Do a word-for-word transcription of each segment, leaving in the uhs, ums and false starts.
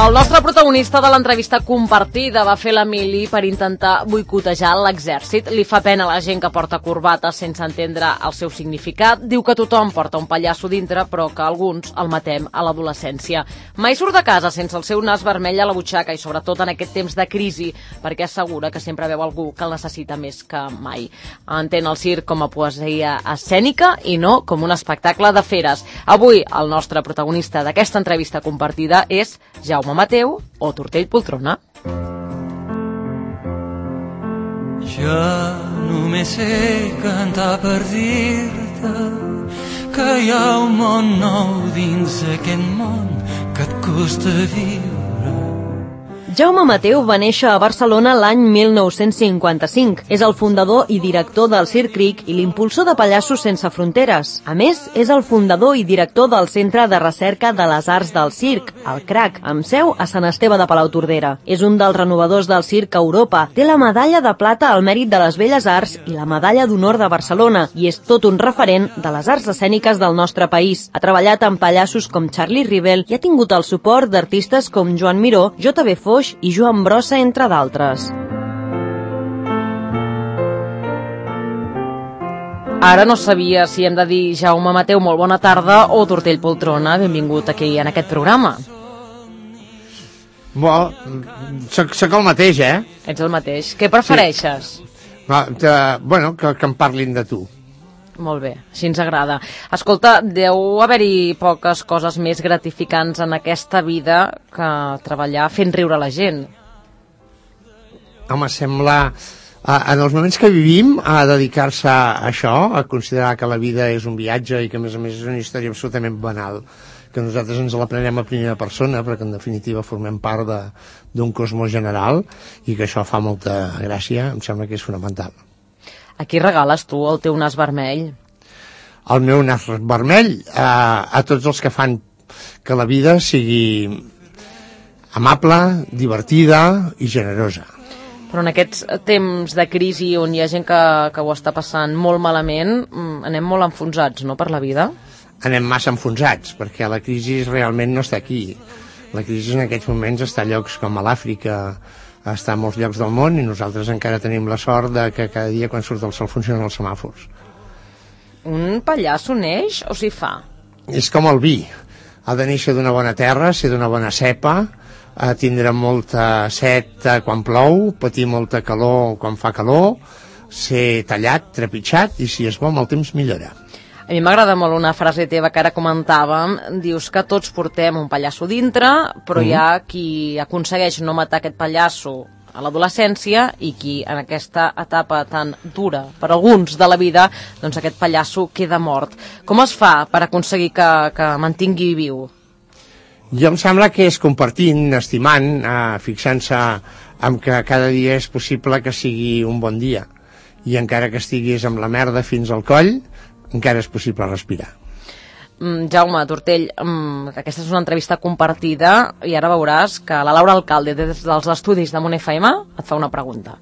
El nostre protagonista de l'entrevista compartida va fer la mili per intentar boicotejar l'exèrcit. Li fa pena a la gent que porta corbata sense entendre el seu significat. Diu que tothom porta un pallasso dintre, però que alguns el matem a l'adolescència. Mai surt de casa sense el seu nas vermell a la butxaca i sobretot en aquest temps de crisi, perquè assegura que sempre veu algú que el necessita més que mai. Entén el circ com a poesia escènica i no com un espectacle de feres. Avui el nostre protagonista d'aquesta entrevista compartida és Jaume Mateu o Tortell Poltrona. Jo només sé cantar per dir-te que hi ha un món nou dins aquest món que et costa viure. Jaume Mateu va néixer a Barcelona l'any mil nou-cents cinquanta-cinc. És el fundador i director del Circ Cric i l'impulsor de Pallassos Sense Fronteres. A més, és el fundador i director del Centre de Recerca de les Arts del Circ, el CRAC, amb seu a Sant Esteve de Palautordera. És un dels renovadors del circ a Europa. Té la medalla de plata al mèrit de les Belles Arts i la medalla d'honor de Barcelona i és tot un referent de les arts escèniques del nostre país. Ha treballat amb pallassos com Charlie Rivel i ha tingut el suport d'artistes com Joan Miró, J B Foix i Joan Brossa, entre d'altres. Ara no sabia si hem de dir Jaume Mateu, molt bona tarda, o Tortell Poltrona, benvingut aquí en aquest programa. Bo, soc, soc el mateix, eh? Ets el mateix. Què prefereixes? Sí. No, de, bueno, que, que em parlin de tu. Molt bé, així ens agrada. Escolta, deu haver-hi poques coses més gratificants en aquesta vida que treballar fent riure la gent. Home, sembla... En els moments que vivim, a dedicar-se a això, a considerar que la vida és un viatge i que, a més a més, és una història absolutament banal, que nosaltres ens la prenem a primera persona, però que, en definitiva, formem part d'un cosmos general i que això fa molta gràcia, em sembla que és fonamental. A qui regales tu el teu nas vermell? El meu nas vermell a, a tots els que fan que la vida sigui amable, divertida i generosa. Però en aquests temps de crisi on hi ha gent que, que ho està passant molt malament, anem molt enfonsats, no, per la vida? Anem massa enfonsats, perquè la crisi realment no està aquí. La crisi en aquests moments està a llocs com a l'Àfrica, està a molts llocs del món i nosaltres encara tenim la sort de que cada dia quan surt el sol funcionen els semàfors. Un pallasso neix o s'hi fa? És com el vi. Ha de néixer d'una bona terra, ser d'una bona cepa, tindre molta set quan plou, patir molta calor quan fa calor, ser tallat, trepitjat i si és bo amb el temps millora. A mi m'agrada molt una frase teva que ara comentàvem. Dius que tots portem un pallasso dintre, però mm. hi ha qui aconsegueix no matar aquest pallasso a l'adolescència i qui en aquesta etapa tan dura per alguns de la vida, doncs aquest pallasso queda mort. Com es fa per aconseguir que, que mantingui viu? Jo em sembla que és compartint, estimant, eh, fixant-se en que cada dia és possible que sigui un bon dia i encara que estiguis amb la merda fins al coll, encara és possible respirar. Mm, Jaume, Tortell, mm, aquesta és una entrevista compartida i ara veuràs que la Laura Alcalde, des dels estudis de Mon F M, et fa una pregunta.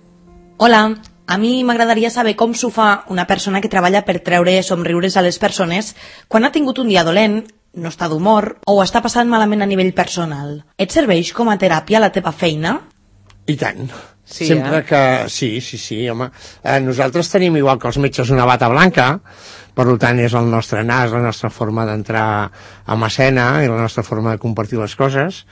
Hola, a mi m'agradaria saber com s'ho fa una persona que treballa per treure somriures a les persones quan ha tingut un dia dolent, no està d'humor o ho està passant malament a nivell personal. Et serveix com a teràpia la teva feina? I tant. Sí, Sempre eh? que... Sí, sí, sí, home. Eh, nosaltres tenim, igual que els metges, una bata blanca, per tant és el nostre nas, la nostra forma d'entrar a escena i la nostra forma de compartir les coses,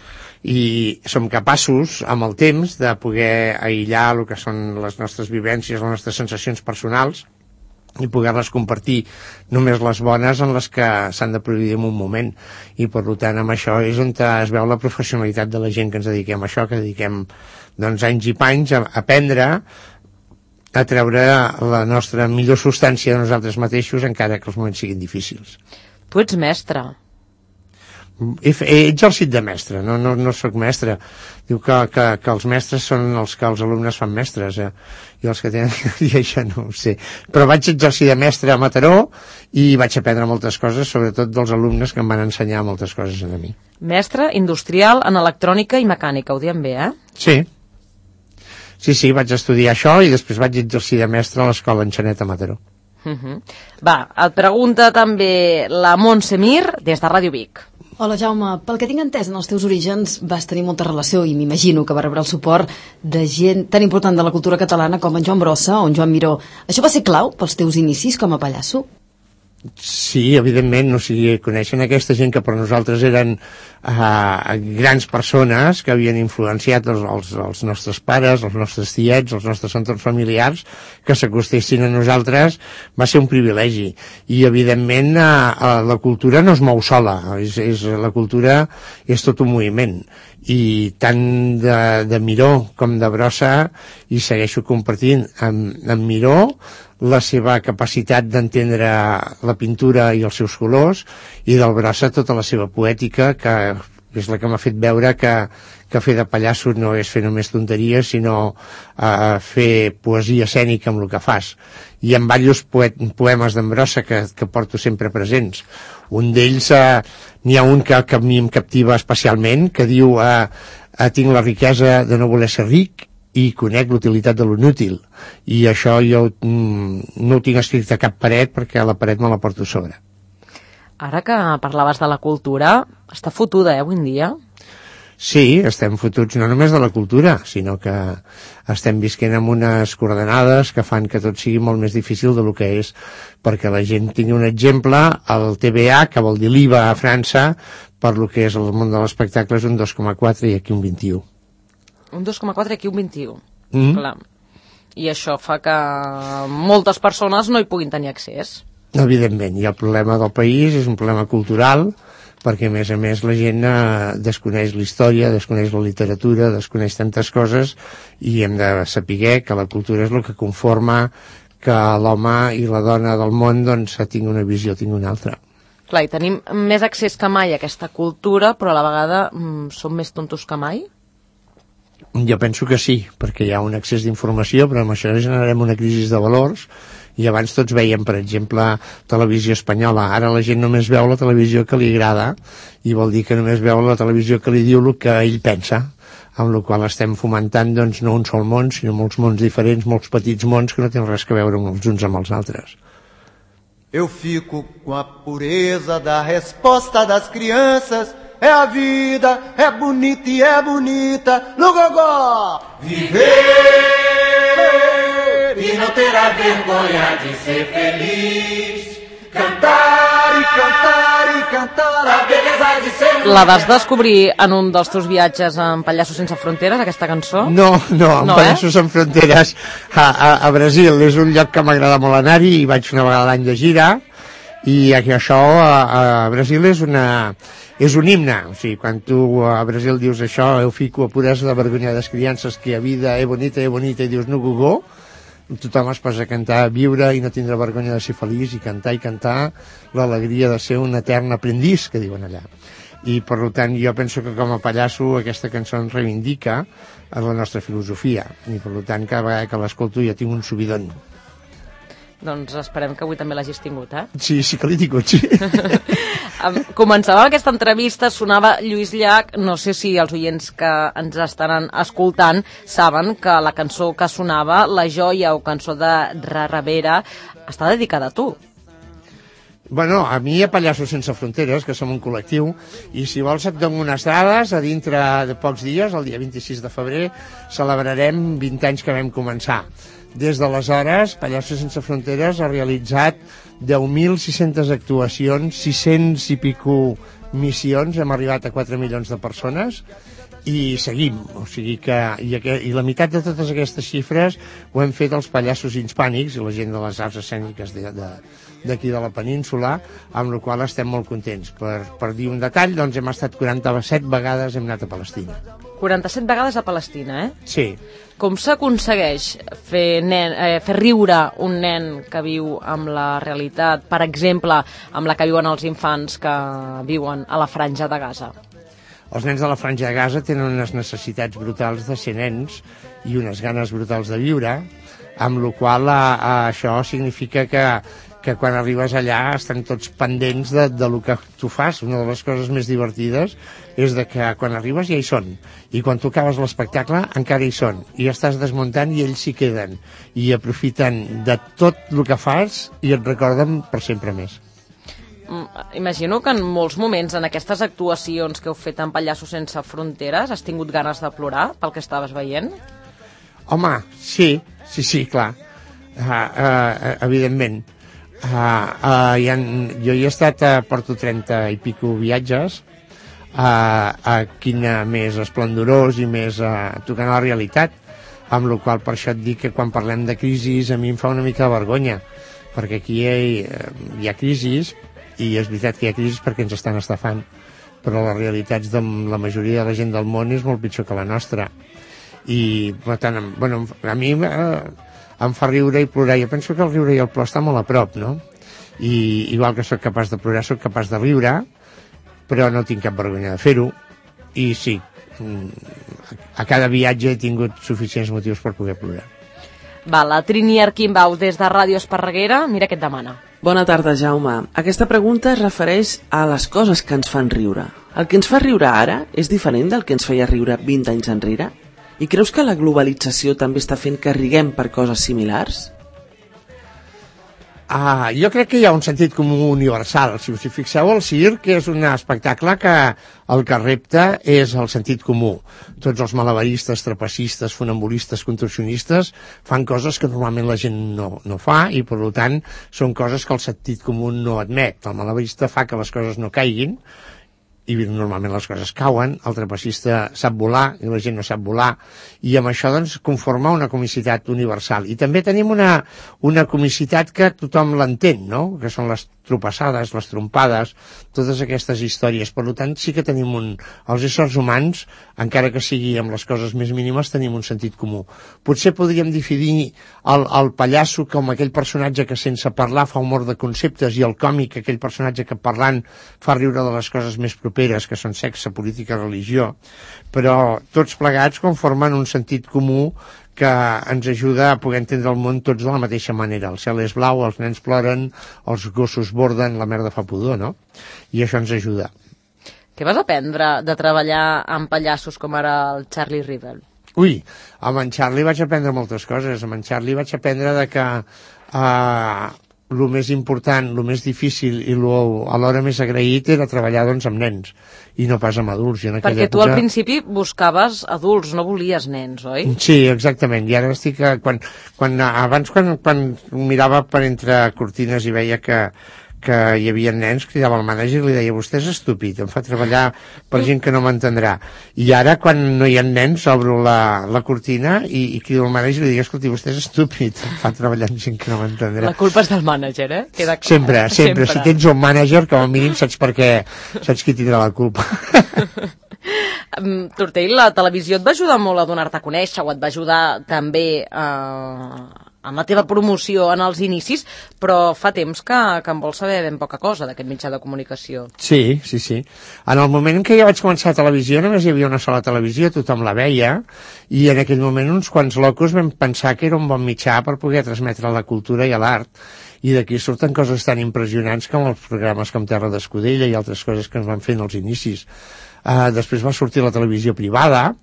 i som capaços, amb el temps, de poder aïllar el que són les nostres vivències, les nostres sensacions personals, i poder-les compartir només les bones en les que s'han de produir en un moment. I per tant amb això és on es veu la professionalitat de la gent que ens dediquem a això, que dediquem doncs, anys i panys a aprendre a treure la nostra millor substància de nosaltres mateixos encara que els moments siguin difícils. Tu ets mestre. He, he exercit de mestre, no, no, no sóc mestre. Diu que, que, que els mestres són els que els alumnes fan mestres, eh? I els que tenen que dir això no ho sé. Però vaig exercir de mestre a Mataró i vaig aprendre moltes coses, sobretot dels alumnes que em van ensenyar moltes coses a mi. Mestre industrial en electrònica i mecànica, ho diem bé, eh? Sí. Sí, sí, vaig estudiar això i després vaig exercir de mestre a l'escola Enxanet a Mataró. Uh -huh. Va, et pregunta també la Montse Mir des de Ràdio Vic. Hola, Jaume. Pel que tinc entès, en els teus orígens vas tenir molta relació i m'imagino que va rebre el suport de gent tan important de la cultura catalana com en Joan Brossa o en Joan Miró. Això va ser clau pels teus inicis com a pallasso? Sí, evidentment, o sigui, coneixen aquesta gent que per nosaltres eren uh, grans persones que havien influenciat els, els, els nostres pares, els nostres tiets, els nostres entorns familiars, que s'acostessin a nosaltres, va ser un privilegi. I, evidentment, uh, uh, la cultura no es mou sola, és, és, la cultura és tot un moviment. I tant de, de Miró com de Brossa, i segueixo compartint amb, amb Miró, la seva capacitat d'entendre la pintura i els seus colors, i del Brossa tota la seva poètica, que és la que m'ha fet veure que, que fer de pallasso no és fer només tonteries, sinó uh, fer poesia escènica amb el que fas. I amb diversos poemes d'en Brossa que, que porto sempre presents. Un d'ells, uh, n'hi ha un que, que a mi em captiva especialment, que diu uh, uh, tinc la riquesa de no voler ser ric i conec l'utilitat de l'inútil, i això jo mm, no ho tinc escrit a cap paret perquè a la paret me la porto a sobre. Ara que parlaves de la cultura, està fotuda, eh, avui en dia? Sí, estem fotuts no només de la cultura, sinó que estem visquent amb unes coordenades que fan que tot sigui molt més difícil del que és, perquè la gent tingui un exemple, el T V A, que vol dir l'I V A a França, per lo que és el món de l'espectacle és un dos coma quatre i aquí un vint-i-u. Un dos coma quatre i aquí un vint-i-u. Mm. Clar. I això fa que moltes persones no hi puguin tenir accés. Evidentment, i el problema del país és un problema cultural, perquè a més a més la gent eh, desconeix la història, desconeix la literatura, desconeix tantes coses, i hem de saber que la cultura és el que conforma que l'home i la dona del món doncs tingui una visió, tingui una altra. Clar, i tenim més accés que mai a aquesta cultura, però a la vegada mm, som més tontos que mai? Jo penso que sí, perquè hi ha un accés d'informació, però amb això generarem una crisi de valors, i abans tots veiem, per exemple, televisió espanyola. Ara la gent només veu la televisió que li agrada, i vol dir que només veu la televisió que li diu el que ell pensa, amb la qual estem fomentant doncs, no un sol món, sinó molts mons diferents, molts petits mons que no tenen res a veure els uns amb els altres. Eu fico com a pureza da resposta das crianças. É a vida, é bonita e é bonita no gogó. Viver e não ter a vergonha de ser feliz. Cantar i cantar i cantar a beleza de ser... La vas descobrir en un dels teus viatges en Pallassos sense fronteres, aquesta cançó? No, no, en no, Pallassos eh? sense fronteres a, a, a Brasil. És un lloc que m'agrada molt anar-hi, i vaig una vegada l'any de gira, i això a, a Brasil és una... és un himne, o sigui, quan tu a Brasil dius això, eu fico a puresa de vergonya das criances, que a vida é bonita, é bonita, i dius no gogó, tothom es posa a cantar, viure i no tindre vergonya de ser feliç, i cantar i cantar l'alegria de ser un etern aprendiz, que diuen allà. I per tant jo penso que com a pallasso aquesta cançó ens reivindica la nostra filosofia, i per tant cada vegada que l'escolto jo tinc un subidon. Doncs esperem que avui també l'hagis tingut, eh? Sí, sí que l'he tingut, sí. Començava aquesta entrevista, sonava Lluís Llach, no sé si els oients que ens estaran escoltant saben que la cançó que sonava, La joia o cançó de Rarrabera, està dedicada a tu. Bueno, a mi a Pallassos sense fronteres, que som un col·lectiu, i si vols et dono unes dades, a dintre de pocs dies, el dia vint-i-sis de febrer, celebrarem vint anys que vam començar. Des d'aleshores, Pallassos sense fronteres ha realitzat deu mil sis-centes actuacions, sis-cents i pico missions, hem arribat a quatre milions de persones, i seguim, o sigui que i, aqu i la meitat de totes aquestes xifres ho hem fet els pallassos hispànics i la gent de les arts escèniques de, de, d'aquí de la península, amb la qual estem molt contents. Per, per dir un detall, doncs hem estat quaranta-set vegades, hem anat a Palestina. quaranta-set vegades a Palestina, eh? Sí. Com s'aconsegueix fer, nen, eh, fer riure un nen que viu amb la realitat, per exemple, amb la que viuen els infants que viuen a la Franja de Gaza? Els nens de la Franja de Gaza tenen unes necessitats brutals de ser nens i unes ganes brutals de viure, amb la qual a, a, això significa que que quan arribes allà estan tots pendents de, de lo que tu fas. Una de les coses més divertides és de que quan arribes ja hi són, i quan tu acabes l'espectacle encara hi són, i estàs desmuntant i ells s'hi queden, i aprofiten de tot el que fas i et recorden per sempre més. Imagino que en molts moments, en aquestes actuacions que heu fet en Pallassos Sense Fronteres, has tingut ganes de plorar pel que estaves veient? Home, sí, sí, sí, clar, uh, uh, evidentment. Uh, uh, hi ha, jo hi he estat, uh, porto trenta i pico viatges, uh, uh, quina més esplendorós i més uh, tocant a la realitat, amb la qual per això et dic que quan parlem de crisis a mi em fa una mica de vergonya, perquè aquí hi ha, hi ha crisis, i és veritat que hi ha crisis perquè ens estan estafant, però les realitats de la majoria de la gent del món és molt pitjor que la nostra, i per tant, bueno, a mi uh, em fa riure i plorar. Jo penso que el riure i el plor està molt a prop, no? I igual que sóc capaç de plorar, sóc capaç de riure, però no tinc cap vergonya de fer-ho. I sí, a cada viatge he tingut suficients motius per poder plorar. Va, la Trini Arquimbau, des de Ràdio Esparreguera, mira què et demana. Bona tarda, Jaume. Aquesta pregunta es refereix a les coses que ens fan riure. El que ens fa riure ara és diferent del que ens feia riure vint anys enrere? I creus que la globalització també està fent que riguem per coses similars? Ah, jo crec que hi ha un sentit comú universal. Si us hi fixeu, el circ és un espectacle que el que repta és el sentit comú. Tots els malabaristes, trapecistes, funambulistes, contorsionistes fan coses que normalment la gent no, no fa, i per tant són coses que el sentit comú no admet. El malabarista fa que les coses no caiguin, i normalment les coses cauen, el trapecista sap volar i la gent no sap volar, i amb això doncs conforma una comicitat universal. I també tenim una, una comicitat que tothom l'entén, no? Que són les tropassades, les trompades, totes aquestes històries. Per tant, sí que tenim un... Els éssers humans, encara que sigui amb les coses més mínimes, tenim un sentit comú. Potser podríem definir el, el pallasso com aquell personatge que sense parlar fa humor de conceptes, i el còmic aquell personatge que parlant fa riure de les coses més properes, que són sexe, política, religió, però tots plegats conformen un sentit comú que ens ajuda a poder entendre el món tots de la mateixa manera. El cel és blau, els nens ploren, els gossos borden, la merda fa pudor, no? I això ens ajuda. Què vas aprendre de treballar amb pallassos com ara el Charlie Riddle? Ui, amb en Charlie vaig aprendre moltes coses. Amb en Charlie vaig aprendre de que eh, el més important, el més difícil i lo, alhora més agraït era treballar doncs, amb nens i no pas amb adults. I en Perquè època... tu al principi buscaves adults, no volies nens, oi? Sí, exactament. I ara estic... Quan, quan, abans, quan, quan mirava per entre cortines i veia que, que hi havia nens, cridava al mànager i li deia: vostè és estúpid, em fa treballar per gent que no m'entendrà. I ara, quan no hi ha nens, obro la, la cortina i, i crido al mànager i li dic: escolti, vostè és estúpid, em fa treballar amb gent que no m'entendrà. La culpa és del mànager, eh? Queda clar. Sempre, sempre, sempre. Si tens un mànager, com a mínim saps per què, saps qui tindrà la culpa. Tortell, la televisió et va ajudar molt a donar-te a conèixer, o et va ajudar també eh, amb la teva promoció en els inicis, però fa temps que, que en vols saber ben poca cosa d'aquest mitjà de comunicació. Sí, sí, sí. En el moment en què jo vaig començar a televisió només hi havia una sola televisió, tothom la veia, i en aquell moment uns quants locos vam pensar que era un bon mitjà per poder transmetre la cultura i l'art, i d'aquí surten coses tan impressionants com els programes com Terra d'Escudella i altres coses que ens van fer en els inicis. Uh, després va sortir la televisió privada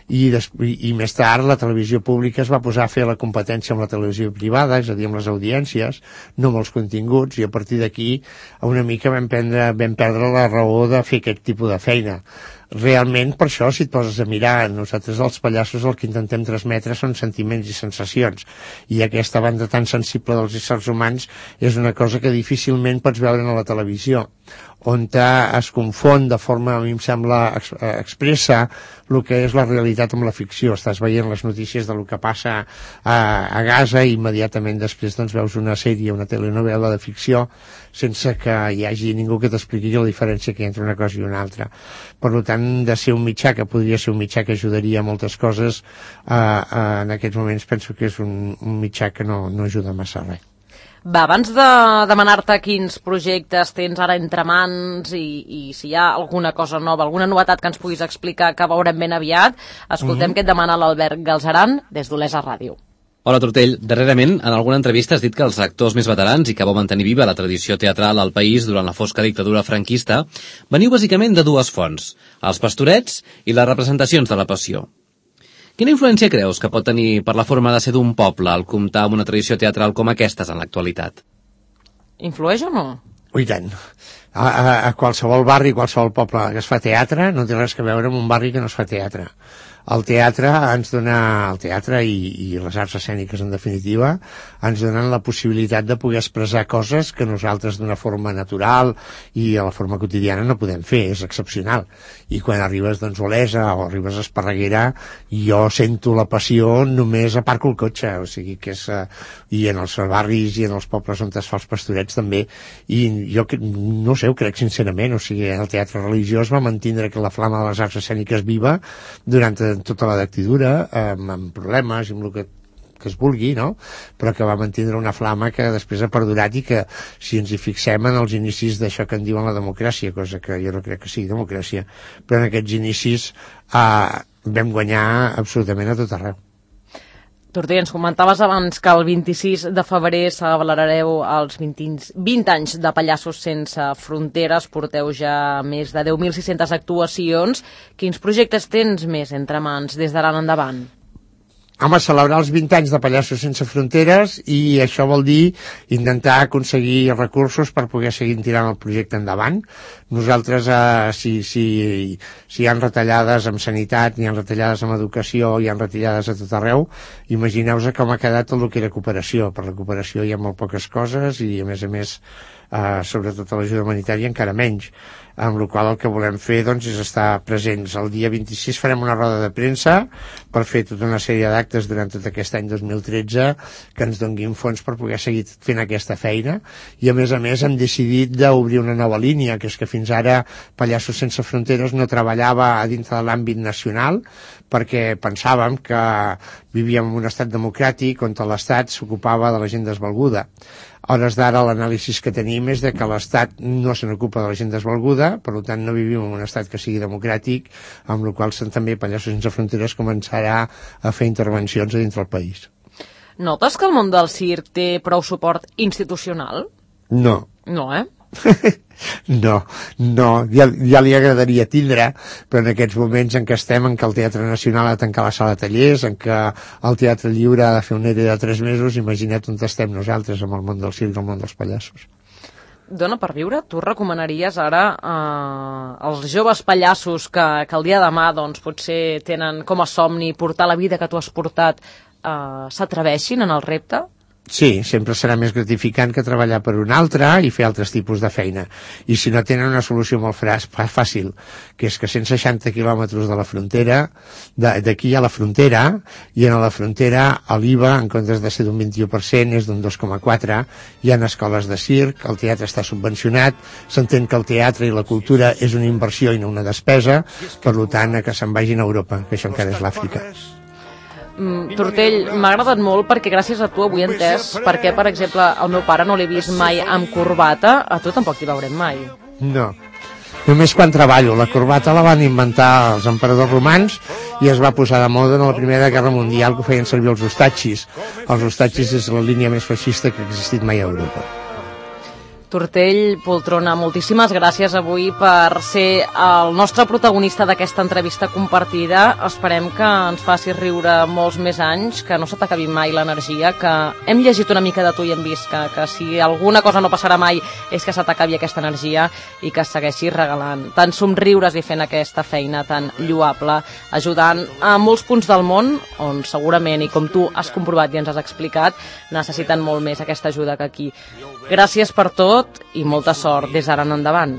i, i, i més tard la televisió pública es va posar a fer la competència amb la televisió privada, és a dir, amb les audiències, no amb els continguts, i a partir d'aquí una mica vam, prendre, vam perdre la raó de fer aquest tipus de feina. Realment, per això, si et poses a mirar, nosaltres els pallassos el que intentem transmetre són sentiments i sensacions, i aquesta banda tan sensible dels éssers humans és una cosa que difícilment pots veure a la televisió, on es confon de forma, a mi em sembla, ex expressa el que és la realitat amb la ficció. Estàs veient les notícies del que passa a, a Gaza i immediatament després doncs, veus una sèrie, una telenovela de ficció sense que hi hagi ningú que t'expliqui la diferència que hi ha entre una cosa i una altra. Per tant, de ser un mitjà que podria ser un mitjà que ajudaria a moltes coses, eh, eh, en aquests moments penso que és un, un mitjà que no, no ajuda massa a res. Va, abans de demanar-te quins projectes tens ara entre mans i, i si hi ha alguna cosa nova, alguna novetat que ens puguis explicar que veurem ben aviat, escoltem mm-hmm. què et demana l'Albert Galzeran des d'Olesa Ràdio. Hola, Tortell. Darrerament, en alguna entrevista has dit que els actors més veterans i que vau mantenir viva la tradició teatral al país durant la fosca dictadura franquista veniu bàsicament de dues fonts, els pastorets i les representacions de la Passió. Quina influència creus que pot tenir per la forma de ser d'un poble al comptar amb una tradició teatral com aquestes en l'actualitat? Influeix o no? I tant. A, a, a qualsevol barri, qualsevol poble que es fa teatre no té res que veure amb un barri que no es fa teatre. El teatre ens dona, el teatre i, i les arts escèniques en definitiva, ens donen la possibilitat de poder expressar coses que nosaltres d'una forma natural i a la forma quotidiana no podem fer, és excepcional. I quan arribes doncs a Olesa o arribes a Esparreguera, jo sento la passió només aparco el cotxe, o sigui que és, uh, i en els barris i en els pobles on es fa els pastorets també, i jo no sé, ho crec sincerament, o sigui, el teatre religiós va mantindre que la flama de les arts escèniques viva durant tota la dictadura, amb, amb problemes i amb el que, que es vulgui, no? Però que va mantindre una flama que després ha perdurat i que, si ens hi fixem en els inicis d'això que en diuen la democràcia, cosa que jo no crec que sigui democràcia, però en aquests inicis eh, vam guanyar absolutament a tot arreu. Tortell, ens comentaves abans que el vint-i-sis de febrer celebrareu els vint anys de Pallassos Sense Fronteres, porteu ja més de deu mil sis-centes actuacions. Quins projectes tens més entre mans des d'ara en endavant? Home, celebrar els vint anys de Pallassos Sense Fronteres, i això vol dir intentar aconseguir recursos per poder seguir tirant el projecte endavant. Nosaltres, eh, si, si, si hi ha retallades en sanitat, hi ha retallades en educació, hi ha retallades a tot arreu, imagineu-vos com ha quedat el que era cooperació. Per la cooperació hi ha molt poques coses i, a més a més, eh, sobretot a l'ajuda humanitària encara menys. Amb la qual el que volem fer doncs, és estar presents. El dia vint-i-sis farem una roda de premsa per fer tota una sèrie d'actes durant tot aquest any dos mil tretze que ens donguin fons per poder seguir fent aquesta feina, i a més a més hem decidit d'obrir una nova línia, que és que fins ara Pallassos Sense Fronteres no treballava a dintre de l'àmbit nacional perquè pensàvem que vivíem en un estat democràtic on l'Estat s'ocupava de la gent desvalguda. A hores d'ara l'anàlisi que tenim és de que l'Estat no se n'ocupa de la gent desvalguda, per tant no vivim en un estat que sigui democràtic, amb la qual cosa també Pallassos Sense Fronteres començarà a fer intervencions a dins del país. Notes que el món del circ té prou suport institucional? No. No, eh? No, no, ja, ja li agradaria tindre, però en aquests moments en què estem, en què el Teatre Nacional ha de tancar la sala de tallers, en què el Teatre Lliure ha de fer un E R E de tres mesos, imagina't on estem nosaltres amb el món del circ i el món dels pallassos. Dona per viure, tu recomanaries ara eh, als joves pallassos que, que el dia de demà doncs, potser tenen com a somni portar la vida que tu has portat, eh, s'atreveixin en el repte? Sí, sempre serà més gratificant que treballar per un altre i fer altres tipus de feina. I si no tenen una solució molt fàcil, que és que cent seixanta quilòmetres de la frontera, d'aquí a la frontera, i a la frontera l'I V A, en comptes de ser d'un vint-i-u per cent, és d'un dos coma quatre per cent. Hi ha escoles de circ, el teatre està subvencionat, s'entén que el teatre i la cultura és una inversió i no una despesa, per tant, que se'n vagin a Europa, que això encara és l'Àfrica. Mm, Tortell, m'ha agradat molt perquè gràcies a tu avui he entès perquè, per exemple, el meu pare no l'he vist mai amb corbata, a tu tampoc t'hi veurem mai. No, només quan treballo. La corbata la van inventar els emperadors romans i es va posar de moda en la Primera Guerra Mundial, que ho feien servir els ostatxis. Els ostatxis és la línia més feixista que ha existit mai a Europa. Tortell Poltrona, moltíssimes gràcies avui per ser el nostre protagonista d'aquesta entrevista compartida. Esperem que ens facis riure molts més anys, que no se t'acabi mai l'energia, que hem llegit una mica de tu i hem vist que, que si alguna cosa no passarà mai és que se t'acabi aquesta energia i que segueixis regalant tant somriures i fent aquesta feina tan lloable, ajudant a molts punts del món on segurament, i com tu has comprovat i ens has explicat, necessiten molt més aquesta ajuda que aquí. Gràcies per tot i molta sort des d'ara en endavant.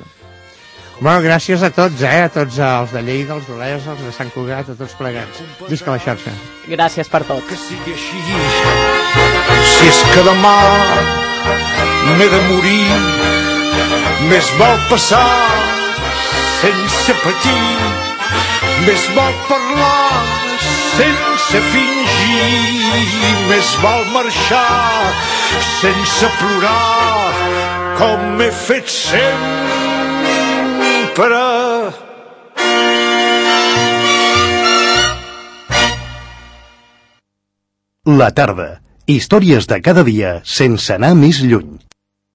Bueno, gràcies a tots, eh? A tots els de Lleida, els d'Olesa, els de Sant Cugat, a tots plegats. Visca la xarxa. Gràcies per tot. Que sigui així, si és que demà m'he de morir, més val passar sense patir, més val parlar sense fingir, més val marxar sense plorar, com he fet sempre. La tarda. Històries de cada dia sense anar més lluny.